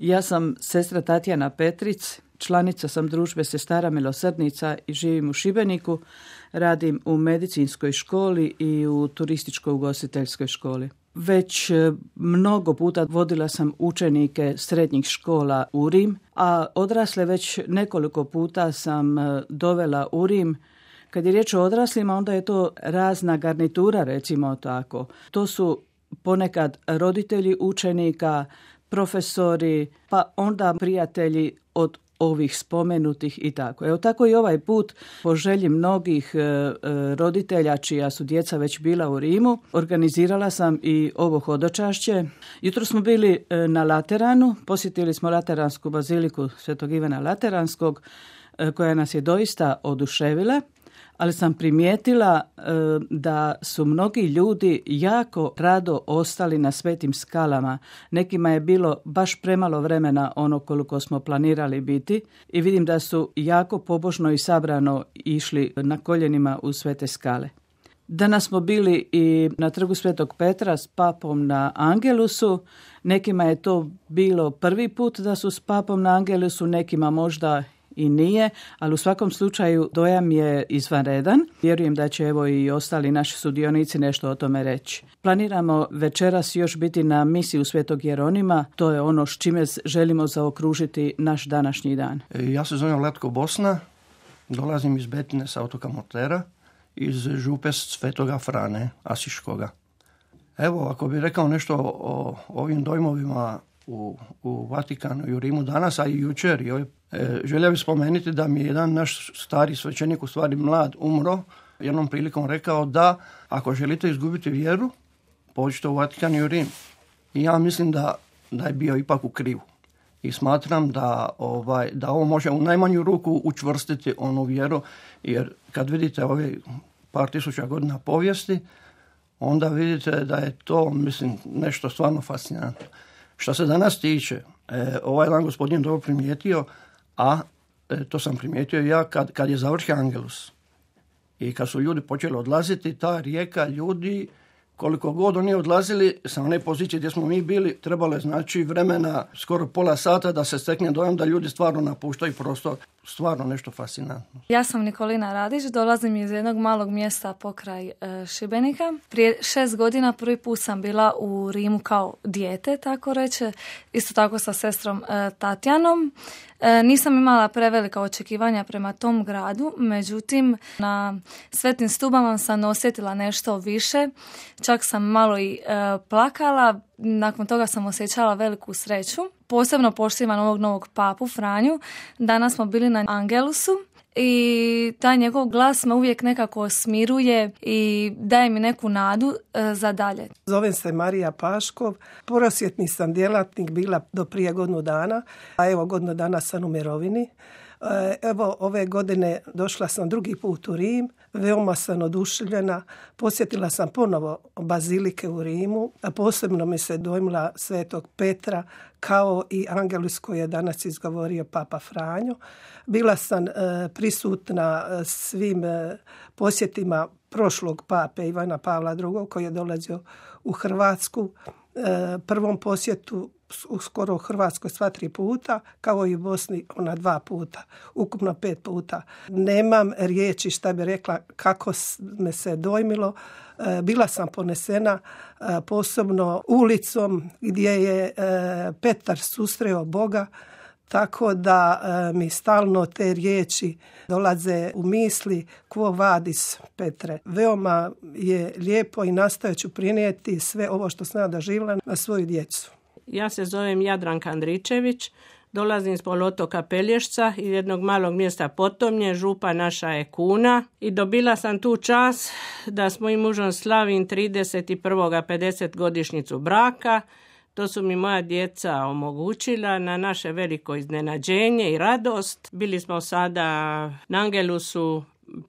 Ja sam sestra Tatjana Petric, članica sam družbe Sestara milosrdnica i živim u Šibeniku. Radim u medicinskoj školi i u turističko-ugostiteljskoj školi. Već mnogo puta vodila sam učenike srednjih škola u Rim, a odrasle već nekoliko puta sam dovela u Rim. Kad je riječ o odraslima, onda je to razna garnitura, recimo tako. To su ponekad roditelji učenika, profesori, pa onda prijatelji od ovih spomenutih i tako. Evo tako i ovaj put, po želji mnogih roditelja čija su djeca već bila u Rimu, organizirala sam i ovo hodočašće. Jutro smo bili na Lateranu, posjetili smo Lateransku baziliku Svetog Ivana Lateranskog, koja nas je doista oduševila, ali sam primijetila da su mnogi ljudi jako rado ostali na Svetim skalama. Nekima je bilo baš premalo vremena ono koliko smo planirali biti i vidim da su jako pobožno i sabrano išli na koljenima u Svete skale. Danas smo bili i na trgu Svetog Petra s papom na Angelusu. Nekima je to bilo prvi put da su s papom na Angelusu, nekima možda i nije, ali u svakom slučaju dojam je izvanredan. Vjerujem da će evo i ostali naši sudionici nešto o tome reći. Planiramo večeras još biti na misiji u Svetog Jeronima. To je ono s čime želimo zaokružiti naš današnji dan. Ja se zovem Latko Bosna, dolazim iz Betine sa otoka Murtera, iz župe Svetoga Frane Asiškoga. Evo, ako bih rekao nešto o ovim dojmovima u Vatikanu i u Rimu danas, a i jučer, želio bih spomenuti da mi je jedan naš stari svećenik, u stvari mlad, umro, jednom prilikom rekao da ako želite izgubiti vjeru, pođite u Vatikan i u Rim. I ja mislim da je bio ipak u krivu. I smatram da ovo može u najmanju ruku učvrstiti onu vjeru, jer kad vidite ove par tisuća godina povijesti, onda vidite da je to, mislim, nešto stvarno fascinantno. Što se danas tiče, ovaj jedan gospodin dobro primijetio, a to sam primijetio ja kad je završio Angelus i kad su ljudi počeli odlaziti, ta rijeka ljudi, koliko god oni odlazili sa one pozicije gdje smo mi bili, trebalo je znači vremena, skoro pola sata da se stekne dojam da ljudi stvarno napuštaju prostor. Stvarno nešto fascinantno. Ja sam Nikolina Radić, dolazim iz jednog malog mjesta pokraj Šibenika. Prije 6 godina prvi put sam bila u Rimu kao dijete, tako reče, isto tako sa sestrom Tatjanom. Nisam imala prevelika očekivanja prema tom gradu, međutim na Svetim Stubama sam osjetila nešto više, čak sam malo i plakala, nakon toga sam osjećala veliku sreću. Posebno poštivam ovog novog papu Franju. Danas smo bili na Angelusu i taj njegov glas me uvijek nekako smiruje i daje mi neku nadu za dalje. Zovem se Marija Paškov, prosvjetni sam djelatnik bila do prije godinu dana, a evo godinu dana sam u mirovini. Evo ove godine došla sam drugi put u Rim, veoma sam oduševljena, posjetila sam ponovo bazilike u Rimu, a posebno mi se dojmila Svetog Petra kao i Angelus koji je danas izgovorio Papa Franjo. Bila sam prisutna svim posjetima prošlog pape Ivana Pavla II koji je dolazio u Hrvatsku, prvom posjetu skoro u Hrvatskoj sva 3 puta, kao i u Bosni ona 2 puta, ukupno 5 puta. Nemam riječi šta bi rekla kako me se dojmilo. Bila sam ponesena posebno ulicom gdje je Petar susreo Boga, tako da mi stalno te riječi dolaze u misli quo vadis Petre. Veoma je lijepo i nastojat ću prinijeti sve ovo što sam doživjela na svoju djecu. Ja se zovem Jadranka Andričević, dolazim s poluotoka Pelješca iz jednog malog mjesta Potomnje, župa naša je Kuna i dobila sam tu čast da s mojim mužom slavim 31. 50 godišnjicu braka. To su mi moja djeca omogućila na naše veliko iznenađenje i radost. Bili smo sada na Angelusu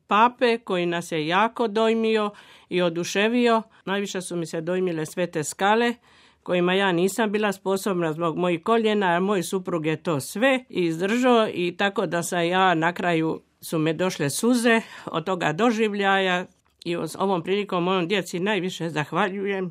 pape koji nas je jako dojmio i oduševio. Najviše su mi se dojmile Svete skale kojima ja nisam bila sposobna zbog mojih koljena, a moj suprug je to sve izdržao i tako da sam ja na kraju su me došle suze od toga doživljaja i ovom prilikom mojom djeci najviše zahvaljujem